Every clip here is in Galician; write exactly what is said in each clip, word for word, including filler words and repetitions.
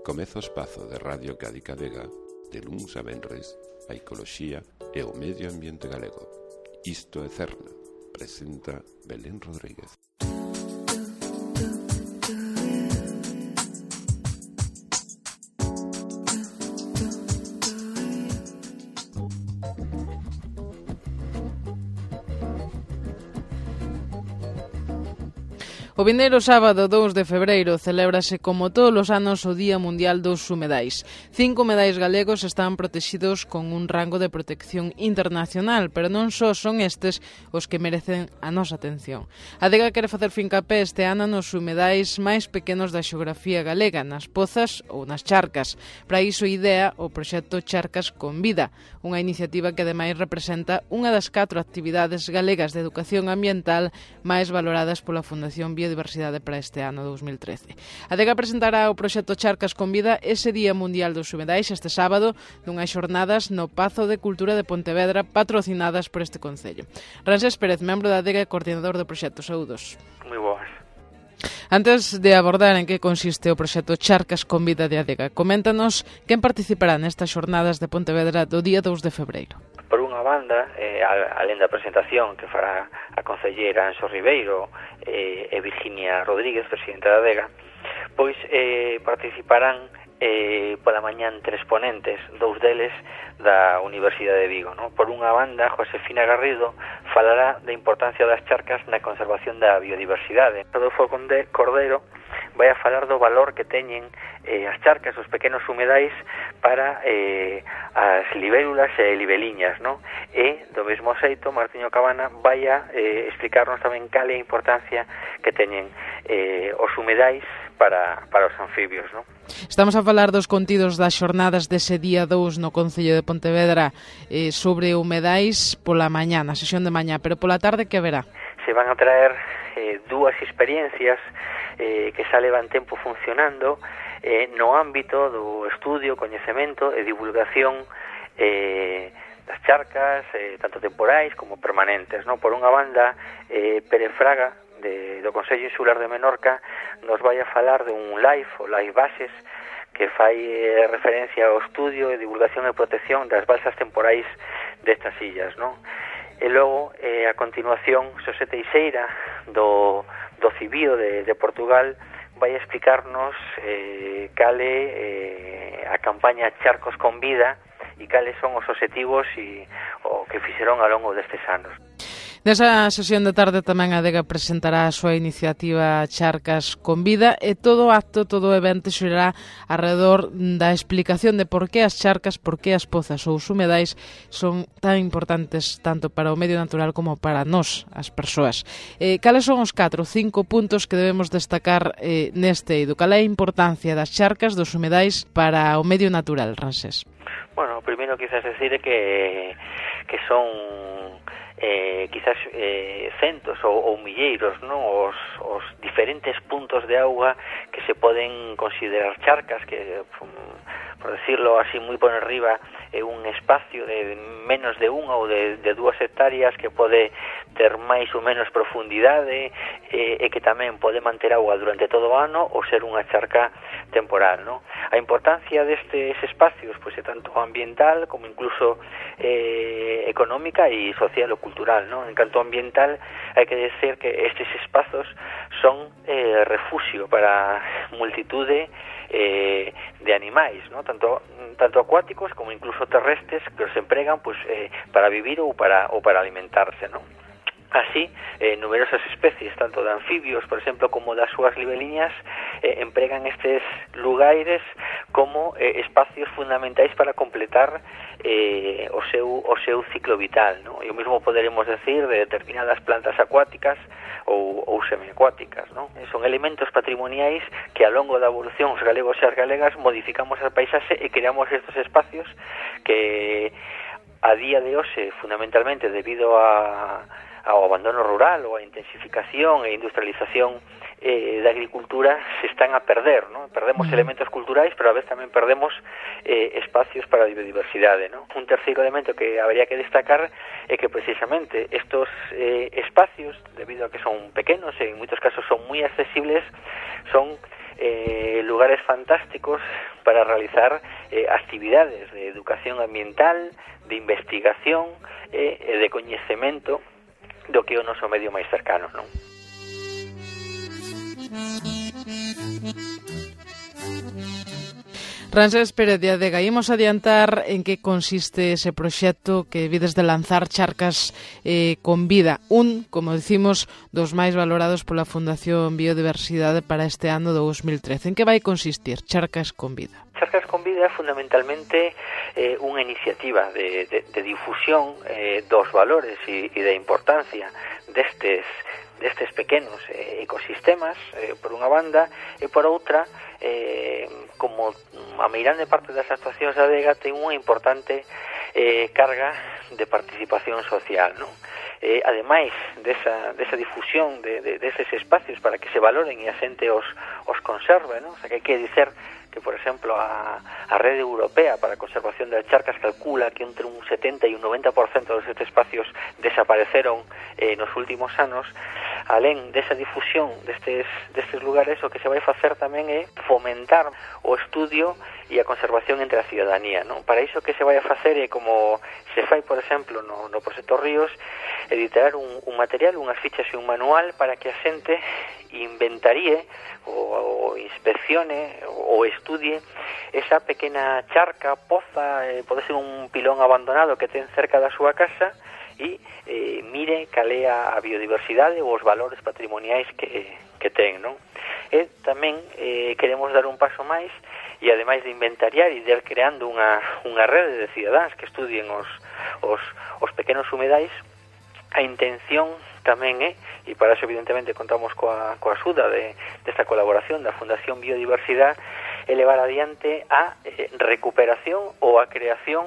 Comeza o espazo de Radio Cádiz Vega, de luns a venres, a ecoloxía e o medio ambiente galego. Isto é Cerna, presenta Belén Rodríguez. O vindeiro sábado dous de febreiro celébrase como todos os anos o Día Mundial dos Humedais. Cinco humedais galegos están protegidos con un rango de protección internacional, pero non só son estes os que merecen a nosa atención. A Adega quere facer fincapé este ano nos humedais máis pequenos da xeografía galega, nas pozas ou nas charcas. Para iso idea o proxecto Charcas con Vida, unha iniciativa que ademais representa unha das catro actividades galegas de educación ambiental máis valoradas pola Fundación Biodiversidade Diversidade para este ano dous mil trece. A Adega presentará o proxecto Charcas con Vida ese Día Mundial dos Humedais este sábado dunhas xornadas no Pazo de Cultura de Pontevedra patrocinadas por este Concello. Ransés Pérez, membro da Adega e coordinador do proxecto. Saúdos. Moi boas. Antes de abordar en que consiste o proxecto Charcas con Vida de Adega, coméntanos quen participará nestas xornadas de Pontevedra do día dous de febreiro. Por unha banda, eh, alén da presentación que fará a concelleira Anxo Ribeiro eh, e Virginia Rodríguez, presidenta da Adega, pois eh, participarán eh, pola mañán tres ponentes, dous deles da Universidade de Vigo, ¿no? Por unha banda, Josefina Garrido falará da importancia das charcas na conservación da biodiversidade. Rodolfo Cordero vai a falar do valor que teñen eh, as charcas, os pequenos humedais para eh, as libélulas e libeliñas, ¿no? E, do mesmo xeito, Martiño Cabana vai a eh, explicarnos tamén cal é a importancia que teñen eh, os humedais para, para os anfibios, ¿no? Estamos a falar dos contidos das xornadas dese día dous no Concello de Pontevedra eh, sobre humedais pola mañá, na sesión de mañá, pero pola tarde que haberá? Se van a traer eh, dúas experiencias eh, que xa levan tempo funcionando eh, no ámbito do estudio, coñecemento e divulgación eh, das charcas, eh, tanto temporais como permanentes, ¿no? Por unha banda, eh, Pérez Fraga, de, do Consello Insular de Menorca, nos vai a falar de un live, o Live Bases, que fai eh, referencia ao estudio e divulgación e protección das balsas temporais destas illas, ¿no? E logo, eh, a continuación, Xosé Teixeira, do, do Cibío de, de Portugal, vai a explicarnos eh, cale eh, a campaña Charcos con Vida e cales son os obxectivos e o que fixeron ao longo destes anos. Nesa sesión de tarde tamén a Adega presentará a súa iniciativa Charcas con Vida e todo o acto, todo o evento xerará alrededor da explicación de por que as charcas, por que as pozas ou os humedais son tan importantes tanto para o medio natural como para nós, as persoas. Eh, cales son os catro, cinco puntos que debemos destacar eh, neste eido? Cal é a importancia das charcas, dos humedais para o medio natural, Ransés? Bueno, primeiro quizás decir que, que son Eh, quizás eh, centos ou, ou milleiros, ¿no? os, os diferentes puntos de auga que se poden considerar charcas, que, por decirlo así moi por arriba, é un espacio de menos de unha ou de, de dúas hectáreas que pode ter máis ou menos profundidade eh, e que tamén pode manter auga durante todo o ano ou ser unha charca temporal, ¿no? A importancia destes espacios pois é tanto ambiental como incluso eh, económica e social ou cultural, ¿no? En canto ambiental, hai que decir que estes espazos son eh, refugio para multitude eh, de animais, ¿no? Tanto tanto acuáticos como incluso terrestres que os empregan pues eh, para vivir ou para ou para alimentarse, ¿no? Así, eh, numerosas especies, tanto de anfibios, por exemplo, como das súas libeliñas, eh, empregan estes lugares como eh, espacios fundamentais para completar eh, o seu o seu ciclo vital, ¿no? E o mesmo poderemos decir de determinadas plantas acuáticas ou, ou semiacuáticas, ¿no? Son elementos patrimoniais que ao longo da evolución os galegos e as galegas modificamos a paisaxe e creamos estes espacios que a día de hoxe, fundamentalmente debido a a ao abandono rural ou a intensificación e industrialización eh, da agricultura se están a perder, ¿no? Perdemos mm. elementos culturais, pero a vez tamén perdemos eh, espacios para a biodiversidade, ¿no? Un terceiro elemento que habría que destacar é que precisamente estos eh, espacios, debido a que son pequenos e en moitos casos son moi accesibles, son eh, lugares fantásticos para realizar eh, actividades de educación ambiental, de investigación e eh, de coñecemento do que é o noso medio máis cercano, non? Ramsés Pérez de Adega, imos adiantar en que consiste ese proxecto que vides de lanzar Charcas eh, con Vida, un, como decimos, dos máis valorados pola Fundación Biodiversidade para este ano dous mil trece. En que vai consistir Charcas con Vida? Charcas con Vida é fundamentalmente eh, unha iniciativa de, de, de difusión eh, dos valores e, e da importancia destes destes pequenos eh, ecosistemas, eh, por unha banda, e por outra, eh, como a meirande parte das actuacións da Adega ten unha importante eh, carga de participación social, non? Eh, ademais desa, desa difusión de, de, deses espacios para que se valoren e a xente os, os conserve, non? O sea, que hai que dicer que, por exemplo, a, a Rede Europea para a Conservación das Charcas calcula que entre un setenta e un noventa por cento destes espacios desapareceron eh, nos últimos anos. Alén desa difusión destes, destes lugares, o que se vai facer tamén é fomentar o estudio e a conservación entre a ciudadanía, non? Para iso que se vai a facer é como se fai, por exemplo, no, no Proxecto Ríos, editar un, un material, unhas fichas e un manual para que a xente inventaríe ou, ou inspeccione ou estudie esa pequena charca, poza, eh, pode ser un pilón abandonado que ten cerca da súa casa, e eh, mire cal é a biodiversidade ou os valores patrimoniais que, que ten, non? E tamén eh, queremos dar un paso máis e ademais de inventariar e de ir creando unha, unha rede de cidadáns que estudien os, os, os pequenos humedais, a intención tamén é, e para eso evidentemente contamos coa, coa axuda de, desta colaboración da Fundación Biodiversidade, elevar adiante a eh, recuperación ou a creación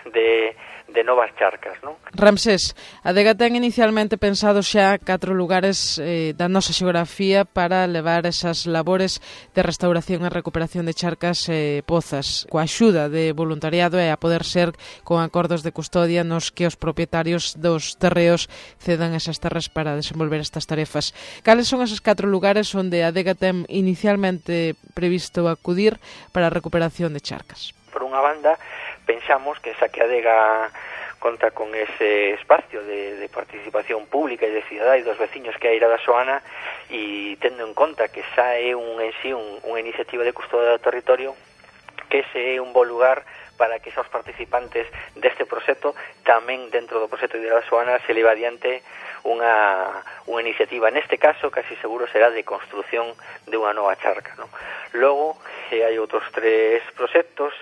de de novas charcas, non? Ramsés, a Adega ten inicialmente pensado xa catro lugares eh, da nosa xeografía para levar esas labores de restauración e recuperación de charcas e eh, pozas, coa axuda de voluntariado e a poder ser con acordos de custodia nos que os propietarios dos terreos cedan esas terras para desenvolver estas tarefas. Cales son esos catro lugares onde a Adega ten inicialmente previsto acudir para a recuperación de charcas? Por unha banda, pensamos que esa que a Adega conta con ese espacio de, de participación pública e de cidadá e dos veciños que hai da Soana, e tendo en conta que xa é un, en sí un, unha iniciativa de custodia do territorio, que ese é un bo lugar para que esos participantes deste proxecto, tamén dentro do proxecto de da Soana, se leva adiante unha, unha iniciativa, neste caso casi seguro será de construción de unha nova charca, non? Logo, eh, hai outros tres proxectos,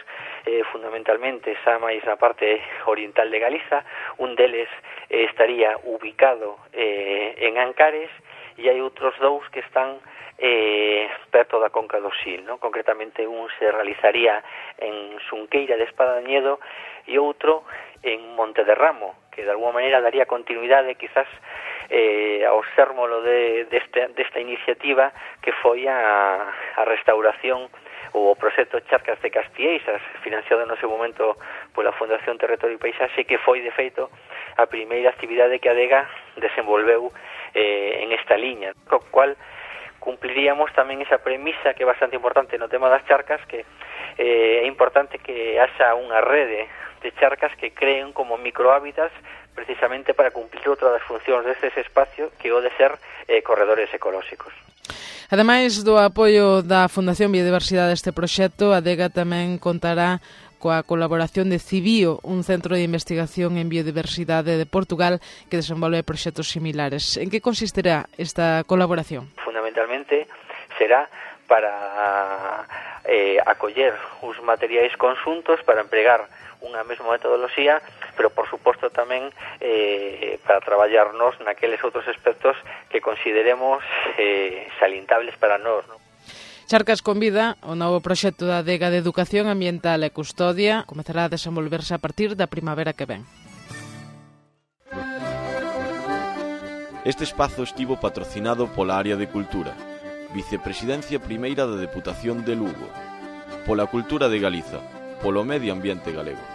Eh, fundamentalmente xa máis na parte oriental de Galiza. Un deles eh, estaría ubicado eh, en Ancares, e hai outros dous que están eh, perto da Conca do Sil, ¿no? Concretamente un se realizaría en Xunqueira de Espadañedo e outro en Monte de Ramo, que de alguma maneira daría continuidade quizás eh, ao sérmolo de, deste, desta iniciativa que foi a, a restauración o proxecto Charcas de Castieixas, financiado no seu momento pola Fundación Territorio e Paisaxe, que foi, de feito, a primeira actividade que a Adega desenvolveu eh, en esta liña, co cual cumpliríamos tamén esa premisa que é bastante importante no tema das charcas, que eh, é importante que haxa unha rede de charcas que creen como microhábitats precisamente para cumplir outra das funcións destes espacios, que o de ser eh, corredores ecolóxicos. Ademais do apoio da Fundación Biodiversidade deste proxecto, a Adega tamén contará coa colaboración de Cibio, un centro de investigación en biodiversidade de Portugal que desenvolve proxectos similares. En que consistirá esta colaboración? Fundamentalmente será para eh, acoller os materiais conxuntos para empregar unha mesma metodoloxía, pero por suposto tamén eh, para traballarnos naqueles outros aspectos que consideremos eh, salientables para nós, non? Charcas con Vida, o novo proxecto da Adega de Educación Ambiental e Custodia, comezará a desenvolverse a partir da primavera que ven. Este espazo estivo patrocinado pola área de Cultura, Vicepresidencia Primeira da Deputación de Lugo, pola Cultura de Galiza, polo Medio Ambiente Galego.